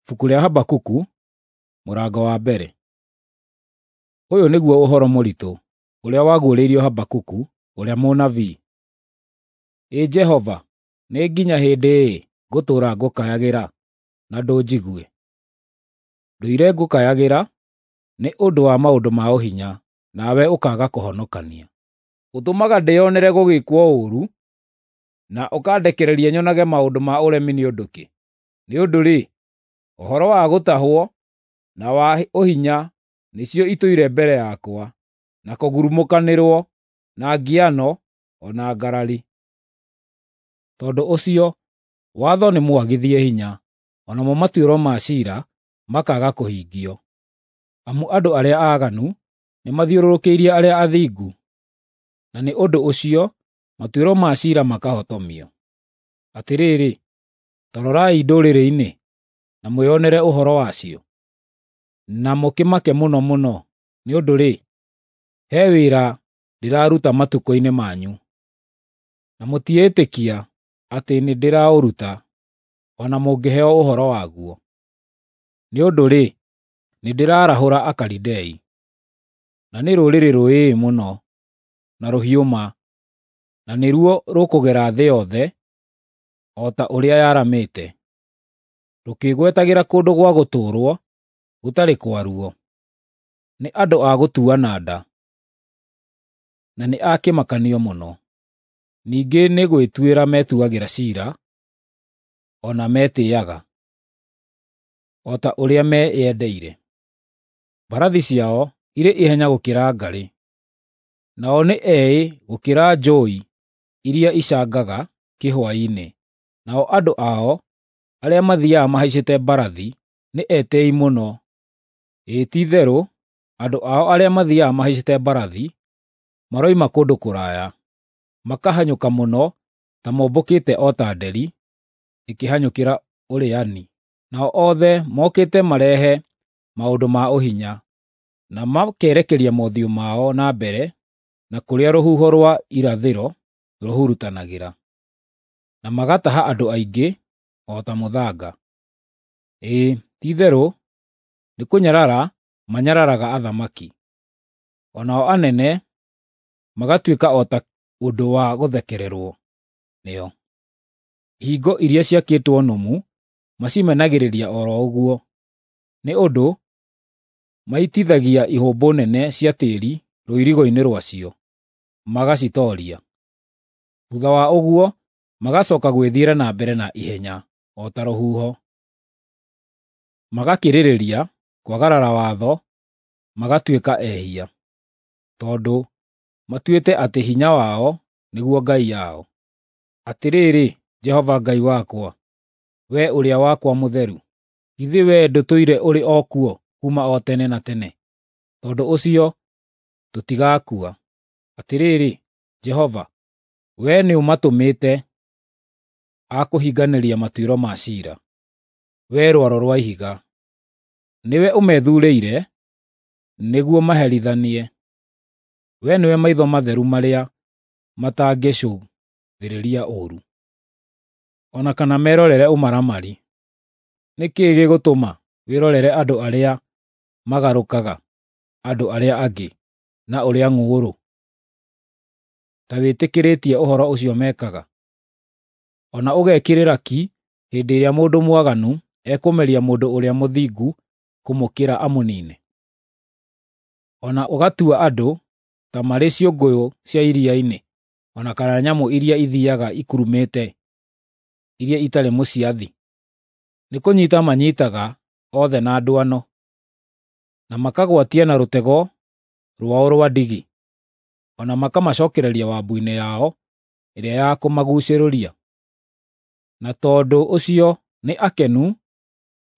Ibuku rĩa Habakuku mũrango wa mbere. Ũyũ nĩguo ũhoro mũritũ ũrĩa waguũrĩirio Habakuku ũrĩa mũnabii. Ĩ Jehova, nĩ nginya hĩndĩ ĩ ngũtũũra ngũkayagĩra na ndũnjigue? Ndũire ngũkayagĩra nĩ ũndũ wa maũndũ ma ũhinya, nawe ũkaaga kũhonokania. Ũtũmaga ndĩĩonere gũgĩĩkwo ũũru, na ũkandekereria nyonage maũndũ ma ũremi nĩ ũndũ kĩ? Nĩ ũndũ-rĩ, ũhoro wa gũtahwo na wa ũhinya nĩcio itũire mbere yakwa, na kũgurumũkanĩrwo, na ngiano, o na ngarari. Tondũ ũcio watho nĩmwagithie hinya, o namo matuĩro ma ciira makaaga kũhingio. Amu andũ arĩa aaganu nĩmathiũrũrũkĩirie arĩa athingu, na nĩ ũndũ ũcio matuĩro ma ciira makahotomio. Atĩrĩrĩ, ta rorai ndũrĩrĩ-inĩ, na mwĩonere ũhoro wacio, na mũkĩmake mũno mũno, nĩ ũndũ-rĩ, he wĩra ndĩraruta matukũ-inĩ manyu, na mũtiĩtĩkia atĩ nĩndĩraũruta, o na mũngĩheo ũhoro waguo. Nĩ ũndũ-rĩ, nĩndĩraarahũra Akalidei, na nĩ rũrĩrĩ rũĩĩ mũno na rũhiũ ma, na nĩruo rũkũgera thĩ yothe o ta ũrĩa yaramĩte, rũkĩĩgwetagĩra kũndũ gwa gũtũũrwo gũtarĩ kwaruo. Nĩ andũ a gũtuana nda, na nĩ a kĩmakanio mũno. Ningĩ nĩ gwĩtuĩra metuagĩra ciira, o na metĩĩaga, o ta ũrĩa meyendeire. Mbarathi ciao irĩ ihenya gũkĩra ngarĩ, nao nĩ eĩ gũkĩra njũũi iria icangaga kĩhwaĩ-inĩ, nao andũ ao arĩa mathiiaga mahaicĩte mbarathi nĩ etĩĩi mũno. Ĩĩ ti-itherũ, andũ ao arĩa mathiiaga mahaicĩte mbarathi maroima kũndũ kũraya, makahanyũka mũno ta mombũkĩte o ta nderi ĩkĩhanyũkĩra ũrĩani. Nao othe mokĩte marehe maũndũ ma ũhinya, na makerekeria mothiũ mao na mbere na kũrĩa rũhuho rwa irathĩro rũhurutanagĩra, na magataha andũ aingĩ o ta mũthanga. Ĩĩ ti-itherũ nĩkũnyarara manyararaga athamaki, o nao anene magatuĩka o ta ũndũ wa gũthekererwo nĩo. Ihingo iria ciakĩtwo nũmu macimenagĩrĩria o ro ũguo, nĩ ũndũ maitithagia ihũmbũ nene cia tĩĩri rũirigo-inĩ rwacio, magacitooria. Thuutha wa ũguo magacooka gwĩthiĩra na mbere na ihenya o ta rũhuho. Magakĩrĩrĩria kwagarara watho magatuĩka ehia, tondũ matuĩte atĩ hinya wao nĩguo ngai yao. Atĩrĩrĩ Jehova Ngai wakwa, Wee ũrĩa wakwa mũtheru, githĩ wee ndũtũire ũrĩ o kuo kuuma o tene na tene? Tondũ ũcio tũtigaakua. Atĩrĩrĩ Jehova, wee nĩũmatũmĩte a kũhinganĩria matuĩro ma ciira, wee Rwaro rwa Ihiga. Nĩwe ũmethuurĩire nĩguo maherithanie. Wee nĩwe maitho matheru marĩa matangĩcũthĩrĩria ũũru, o na kana merorere ũmaramari. Nĩ kĩĩ gĩgũtũma wĩrorere andũ arĩa magarũkaga andũ arĩa angĩ na ũrĩa ng'ũũrũ, ta wĩtĩkĩrĩtie ũhoro ũcio mekaga, o na ũgekĩrĩra ki hĩndĩ ĩrĩa mũndũ mwaganu ekũmeria mũndũ ũrĩa mũthingu kũmũkĩra amũniine? O na ũgatua andũ ta marĩ ciũngũyũ cia iria-inĩ, o na kana nyamũ iria ithiiaga ikurumĩte, iria itarĩ mũciathi. Nĩkũnyiita manyiitaga othe na ndwano, na makagwatia na rũtego rwao rwa ndigi, o na makamacookereria wabu-inĩ yao ĩrĩa ya kũmaguucũrũria. Na tondũ ũcio nĩ akenu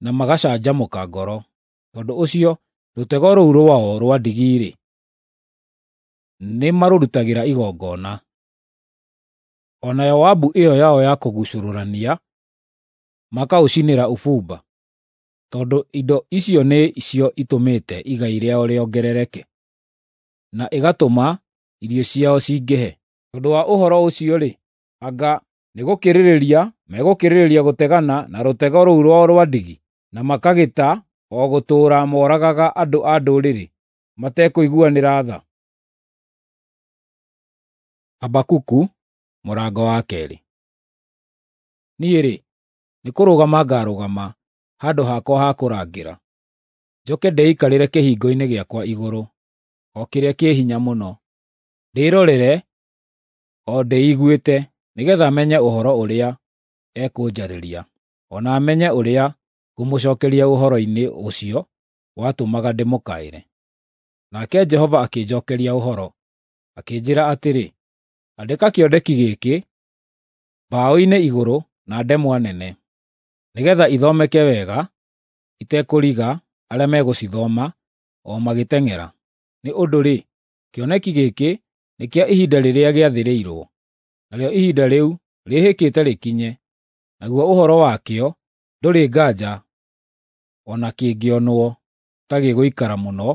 na magacanjamũka ngoro. Tondũ ũcio rũtego rũu rwao rwa ndigi-rĩ, nĩmarũrutagĩra igongona. O nayo wabu ĩyo yao ya kũguucũrũrania makaũcinĩra ũbumba, tondũ indo icio nĩcio itũmĩte igai rĩao rĩongerereke, na ĩgatũma irio ciao cingĩhe. Tondũ wa ũhoro ũcio-rĩ, anga nĩgũkĩrĩrĩria megũkĩrĩrĩria gũtegana na rũtego rũu rwao rwa ndigi? na makagĩta o gũtũũra moragaga andũ a ndũrĩrĩ matekũiguanĩra tha? Habakuku mũrango wa 2. Niĩ-rĩ, nĩkũrũgama ngarũgama handũ hakwa ha kũrangĩra, njoke ndĩikarĩre kĩhingo-inĩ gĩakwa igũrũ, o kĩrĩa kĩ hinya mũno, ndĩĩrorere o ndĩiguĩte, nĩgeetha menye ũhoro ũrĩa ekũnjarĩria, o na menye ũrĩa ngũmũcookeria ũhoro-inĩ ũcio watũmaga ndĩmũkaĩre. Nake Jehova akĩnjookeria ũhoro, akĩnjĩĩra atĩrĩ, “Andĩka kĩoneki gĩkĩ mbaũ-inĩ igũrũ na ndemwa nene, nĩgeetha ithomeke wega itekũriga arĩa megũcithoma o magĩteng'era. Nĩ ũndũ-rĩ, kĩoneki gĩkĩ nĩ kĩa ihinda rĩrĩa gĩathĩrĩirwo, narĩo ihinda rĩu rĩĩhĩkĩte rĩkinye, naguo ũhoro wakĩo ndũrĩ nganja o na kĩngĩonwo ta gĩgũikara mũno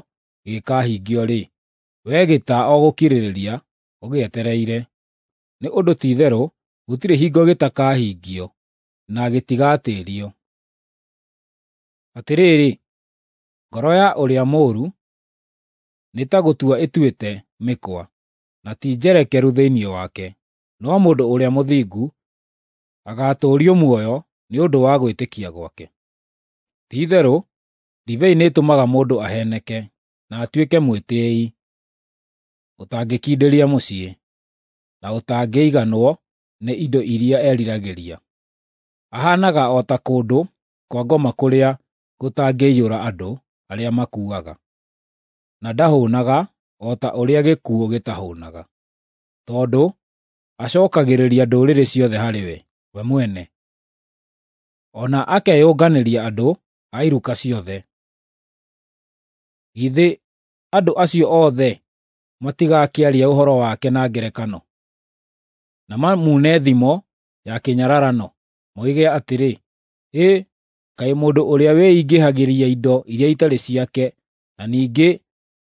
gĩgĩkahingio-rĩ, wee gĩta o gũkirĩrĩria ũgĩetereire. Nĩ ũndũ ti-itherũ gũtirĩ hingo gĩtakahingio, na gĩtigatĩĩrio. Atĩrĩrĩ, ngoro ya ũrĩa mũũru nĩ ta gũtua ĩtuĩte mĩkwa, na ti njerekeru thĩinĩ wake, no mũndũ ũrĩa mũthingu agaatũũrio muoyo nĩ ũndũ wa gwĩtĩkia gwake. Ti-itherũ ndibei nĩĩtũmaga mũndũ aheeneke na atuĩke mwĩtĩĩi, ũtangĩkindĩria mũciĩ, na ũtangĩiganwo nĩ indo iria eriragĩria. Ahaanaga o ta kũndũ kwa ngoma kũrĩa gũtangĩiyũra andũ arĩa makuaga, na ndahũũnaga o ta ũrĩa gĩkuũ gĩtahũũnaga, tondũ acookagĩrĩria ndũrĩrĩ ciothe harĩ we mwene, o na akeyũnganĩria andũ a iruka ciothe. Githĩ andũ acio othe matigakĩaria ũhoro wake na ngerekano, na mamune thimo ya kĩnyararano, moige atĩrĩ, ‘Ĩ, kaĩ mũndũ ũrĩa wĩingĩhagĩria indo iria itarĩ ciake, na ningĩ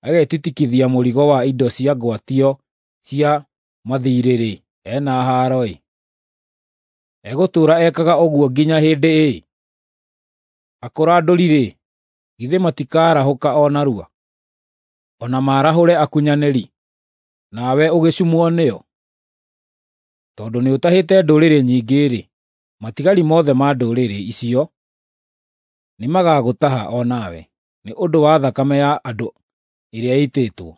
agetitikithia mũrigo wa indo cia ngwatio cia mathiirĩ-rĩ, e na haaro-ĩ! Egũtũũra ekaga ũguo nginya hĩndĩ ĩ? Akũrandũri-rĩ, githĩ matikaarahũka o narua? O na maarahũre akunyanĩri, nawe ũgĩcumwo nĩo? Tondũ nĩũtahĩte ndũrĩrĩ nyingĩ-rĩ, matigari mothe ma ndũrĩrĩ icio nĩmagagũtaha o nawe, nĩ ũndũ wa thakame ya andũ ĩrĩa ĩitĩtwo,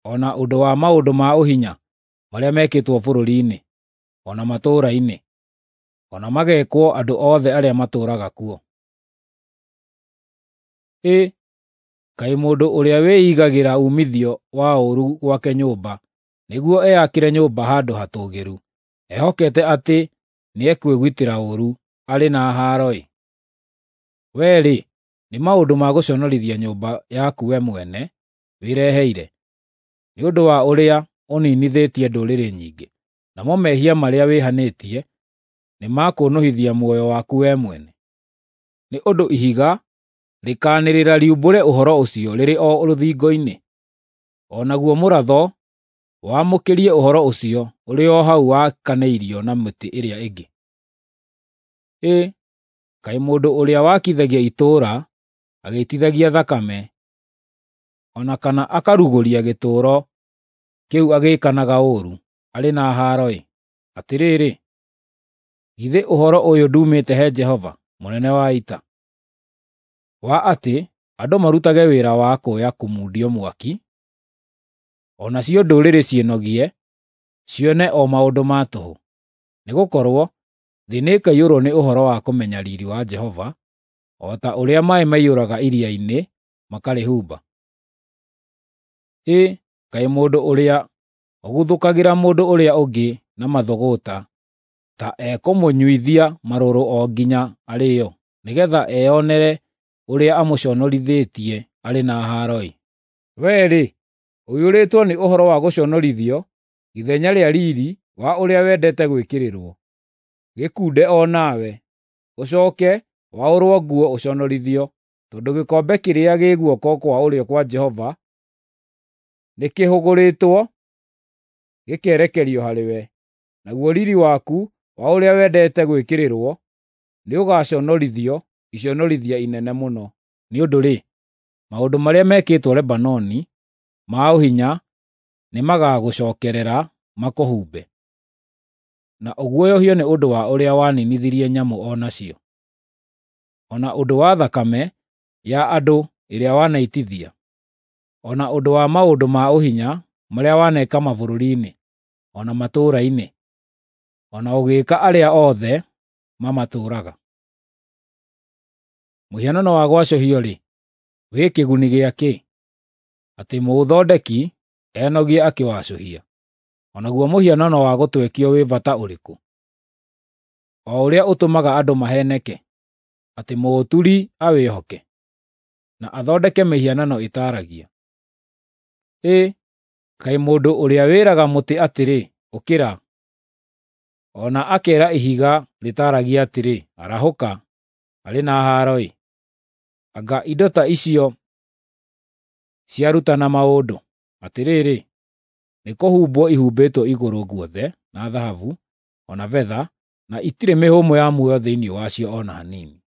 o na ũndũ wa maũndũ ma ũhinya marĩa mekĩtwo bũrũri-inĩ, o na matũũra-inĩ, o na magekwo andũ othe arĩa matũũraga kuo. Ĩ, kaĩ mũndũ ũrĩa wĩigagĩra uumithio wa ũũru gwake nyũmba nĩguo eyakĩre nyũmba handũ hatũũgĩru, ehokete atĩ nĩekwĩgitĩra ũũru, arĩ na haaro-ĩ! Wee-rĩ, nĩ maũndũ ma gũconorithia nyũmba yaku we mwene wĩreheire, nĩ ũndũ wa ũrĩa ũniinithĩtie ndũrĩrĩ nyingĩ, namo mehia marĩa wĩhanĩtie nĩmakũũnũhithia muoyo waku we mwene. Nĩ ũndũ ihiga rĩkaanĩrĩra riumbũre ũhoro ũcio rĩrĩ o rũthingo-inĩ, o naguo mũratho wamũkĩrie ũhoro ũcio ũrĩ o hau wakanĩirio na mĩtĩ ĩrĩa ĩngĩ. Ĩ, kaĩ mũndũ ũrĩa wakithagia itũũra agĩitithagia thakame, o na kana akarugũria gĩtũũro kĩu agĩĩkanaga ũũru, arĩ na haaro-ĩ! Atĩrĩrĩ, githĩ ũhoro ũyũ nduumĩte he Jehova, mũnene wa ita, wa atĩ andũ marutage wĩra wa kũya kũmundio mwaki, o nacio ndũrĩrĩ ciĩnogie, cione o maũndũ ma tũhũ? Nĩgũkorwo thĩ nĩĩkaiyũrwo nĩ ũhoro wa kũmenya riiri wa Jehova, o ta ũrĩa maaĩ maiyũraga iria-inĩ makarĩhumba. Ĩ, kaĩ mũndũ ũrĩa ũguthũkagĩra mũndũ ũrĩa ũngĩ na mathũgũta ta ekũmũnyuithia marũrũ o nginya arĩĩo, nĩgeetha eyonere ũrĩa amũconorithĩtie arĩ na haaro-ĩ! Wee-rĩ, ũiyũrĩtwo nĩ ũhoro wa gũconorithio ithenya rĩa riiri wa ũrĩa wendete gwĩkĩrĩrwo. Gĩkunde o nawe, ũcooke waũrwo nguo ũconorithio, tondũ gĩkombe kĩrĩa gĩ guoko kwa ũrĩo kwa Jehova nĩkĩhũgũrĩtwo gĩkerekerio harĩwe, naguo riiri waku wa ũrĩa wendete gwĩkĩrĩrwo nĩũgaconorithio iconorithia inene mũno. Nĩ ũndũ-rĩ, maũndũ marĩa mekĩtwo Lebanoni ma ũhinya nĩmagagũcokerera makũhumbe, na ũguoyohio nĩ ũndũ wa ũrĩa waninithirie nyamũ o nacio, o na ũndũ wa thakame ya andũ ĩrĩa wanaitithia, o na ũndũ wa maũndũ ma ũhinya marĩa waneka mabũrũri-inĩ, o na matũũra-inĩ, o na ũgĩĩka arĩa othe mamatũũraga. Mũhianano wa gwacũhio-rĩ, wĩ kĩguni gĩa kĩ, atĩ mũũthondeki enogie akĩwacũhia? O naguo mũhianano wa gũtwekio wĩ bata ũrĩkũ, o ũrĩa ũtũmaga andũ maheeneke, atĩ mũũturi awĩhoke, na athondeke mĩhianano ĩtaaragia? Ĩ, kaĩ mũndũ ũrĩa wĩraga mũtĩ atĩrĩ, “Ũkĩra,” o na akeera ihiga rĩtaaragia atĩrĩ, “Arahũka,” arĩ na haaro-ĩ! Anga indo ta icio ciarutana maũndũ? Atĩrĩrĩ, nĩkũhumbwo ihumbĩtwo igũrũ guothe na thahabu, o na betha, na itirĩ mĩhũmũ ya muoyo thĩinĩ wacio o na hanini.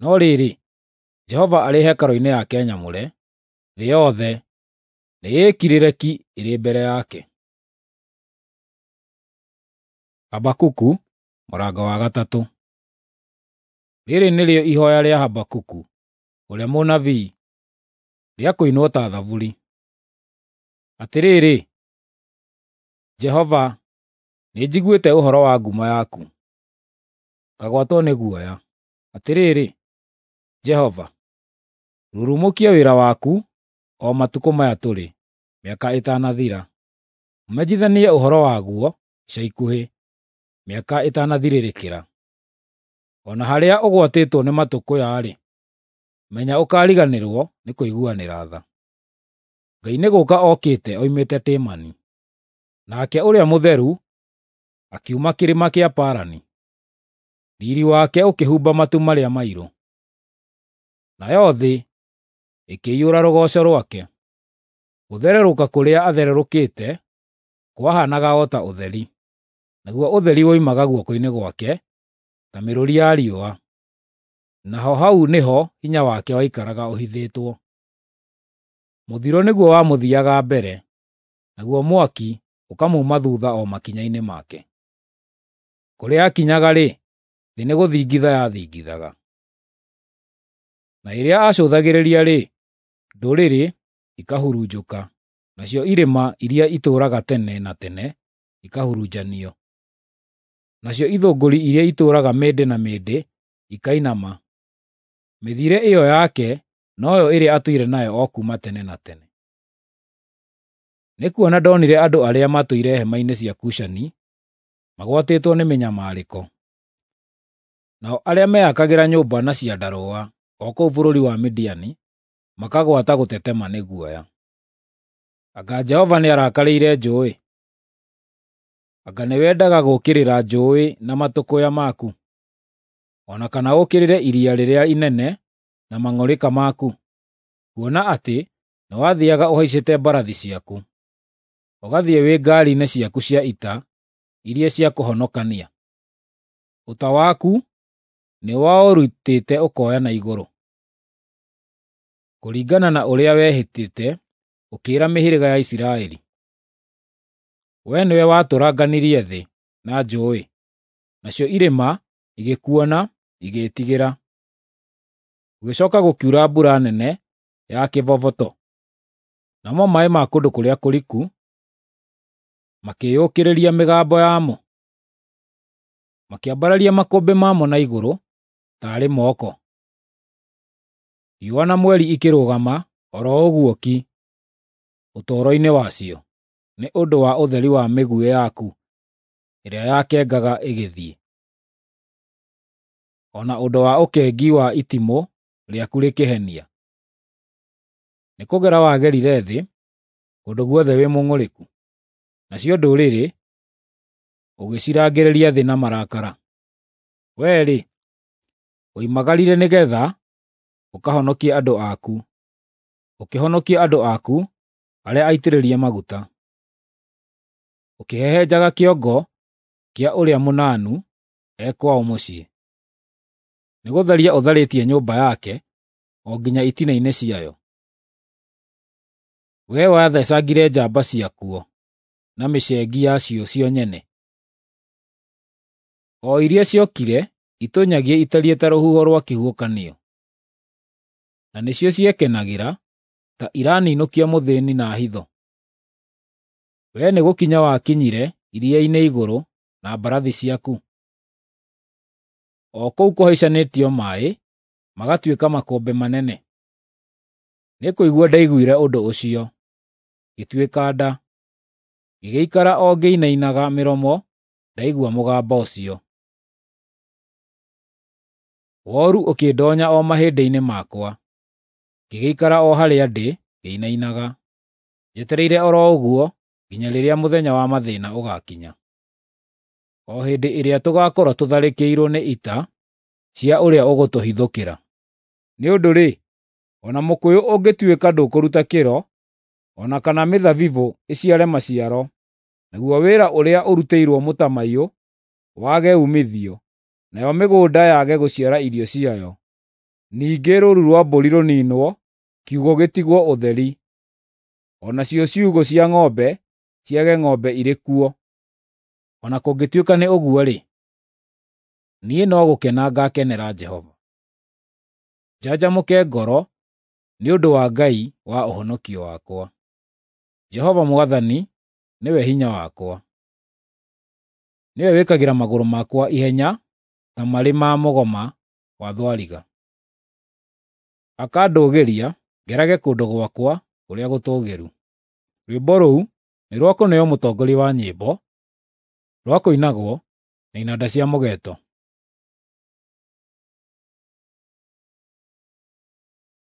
No rĩrĩ, Jehova arĩ hekarũ-inĩ yake nyamũre, thĩ yothe nĩĩkirĩre ki ĩrĩ mbere yake. Habakuku mũrango wa gatatũ. Rĩrĩ nĩrĩo ihooya rĩa Habakuku ũrĩa mũnabii, rĩa kũinwo ta thaburi. Atĩrĩrĩ, Jehova, nĩnjiguĩte ũhoro wa ngumo yaku, ngagwatwo nĩ guoya. Atĩrĩrĩ, Jehova, rurumũkia wĩra waku o matukũ maya tũrĩ, mĩaka ĩtanathira. Ũmenyithanie ũhoro waguo ica ikuhĩ, mĩaka ĩtanathirĩrĩkĩra. O na harĩa ũgwatĩtwo nĩ matũkũya-rĩ, menya ũkariganĩrwo nĩ kũiguanĩra tha. Ngai nĩ gũũka okĩte oimĩte Temani, nake Ũrĩa Mũtheru akiuma kĩrĩma kĩa Parani. Riiri wake ũkĩhumba matu marĩa mairũ, nayo thĩ ĩkĩiyũra rũgooco rwake. Gũthererũka kũrĩa athererũkĩte kwahaanaga o ta ũtheri, naguo ũtheri woimaga guoko-inĩ gwake ta mĩrũri ya riũa, naho hau nĩho hinya wake waikaraga ũhithĩtwo. Mũthiro nĩguo wamũthiiaga mbere, naguo mwaki ũkamuuma thuutha o makinya-inĩ make. Kũrĩa aakinyaga-rĩ, thĩ nĩgũthingitha yathingithaga. Na rĩrĩa aacũthagĩrĩria-rĩ, ndũrĩrĩ ikahurunjũka, nacio irĩma iria itũũraga tene na tene ikahurunjanio. Nacio ithũngũri iria itũũraga mĩndĩ na mĩndĩ ikainama. Mĩthiĩre ĩyo yake noyo ĩrĩa atũire nayo o kuuma tene na tene. Nĩkuona ndonire andũ arĩa matũire hema-inĩ cia Kushani magwatĩtwo nĩ mĩnyamarĩko, nao arĩa meyakagĩra nyũmba na ciandarũa o kũu bũrũri wa Midiani makagwata gũtetema nĩ guoya. Anga Jehova nĩarakarĩire njũũĩ? Anga nĩwendaga gũũkĩrĩra njũũĩ na matũkũya maku, o na kana ũũkĩrĩre iria rĩrĩa inene na mang'ũrĩka maku? Kuona atĩ nĩwathiiaga ũhaicĩte mbarathi ciaku, ũgathiĩ wĩ ngaari-inĩ ciaku cia ita iria cia kũhonokania. Ũta waku nĩwaũrutĩte ũkoya na igũrũ, kũringana na ũrĩa wehĩtĩte ũkĩĩra mĩhĩrĩga ya Isiraeli. Wee nĩwe watũranganirie thĩ na njũũĩ, nacio irĩma igĩkuona igĩĩtigĩra. Gũgĩcooka gũkiura mbura nene ya kĩboboto, namo maaĩ ma kũndũ kũrĩa kũriku makĩĩyũkĩrĩria mĩgambo yamo, makĩambararia makũmbĩ mamo na igũrũ taarĩ moko. Riũa na mweri ikĩrũgama o ro ũguo ki ũtũũro-inĩ wacio, nĩ ũndũ wa ũtheri wa mĩguĩ yaku ĩrĩa yakengaga ĩgĩthiĩ, o na ũndũ wa ũkengi wa itimũ rĩaku rĩkĩhenia. Nĩkũgera wagerire thĩ kũndũ guothe wĩ mũng'ũrĩku, nacio ndũrĩrĩ ũgĩcirangĩrĩria thĩ na marakara. Wee-rĩ, woimagarire nĩgeetha ũkahonokie andũ aku, ũkĩhonokia andũ aku arĩa aitĩrĩrie maguta. Ũkĩhehenjaga kĩongo kĩa ũrĩa mũnanu e kwao mũciĩ. Nĩgũtharia ũtharĩtie nyũmba yake o nginya itina-inĩ ciayo. Wee wathecangire njamba ciakuo na mĩcengi yacio cio nyene, o iria ciokire itũnyagie itariĩ ta rũhuho rwa kĩhuhũkanio, na nĩcio ciekenagĩra ta iraninũkia mũthĩĩni na hitho. Wee nĩgũkinya wakinyire iria-inĩ igũrũ na mbarathi ciaku, o kũu kũhaicanĩtio maaĩ magatuĩka makũmbĩ manene. Nĩkũigua ndaiguire ũndũ ũcio, ngĩtuĩka nda, ngĩgĩikara o ngĩinainaga mĩromo ndaigua mũgambo ũcio. Woru ũkĩndoonya o mahĩndĩ-inĩ makwa, ngĩgĩikara o harĩa ndĩ ngĩinainaga, njetereire o ro ũguo nginya rĩrĩa mũthenya wa mathĩĩna ũgaakinya, o hĩndĩ ĩrĩa tũgaakorwo tũtharĩkĩirwo nĩ ita cia ũrĩa ũgũtũhithũkĩra. Nĩ ũndũ-rĩ, o na mũkũyũ ũngĩtuĩka ndũkũruta kĩro, o na kana mĩthabibũ ĩciare maciaro, naguo wĩra ũrĩa ũrutĩirwo mũtamaiyũ wage uumithio, nayo mĩgũnda yage gũciara irio ciayo, ningĩ rũũru rwa mbũri rũniinwo, kiugũ gĩtigwo ũtheri, o nacio ciugũ cia ng'ombe ciage ng'ombe irĩ kuo. O na kũngĩtuĩka nĩ ũguo-rĩ, niĩ no gũkena ngaakenera Jehova, njanjamũke ngoro nĩ ũndũ wa Ngai wa ũhonokio wakwa. Jehova Mwathani nĩwe hinya wakwa; nĩwe wĩkagĩra magũrũ makwa ihenya ta marĩ ma mũgoma wa thwariga, akandũgĩria ngerage kũndũ gwakwa kũrĩa gũtũũgĩru. Rwĩmbo rũu nĩ rwa kũneo mũtongoria wa nyĩmbo, rwa kũinagwo na inanda cia mũgeeto.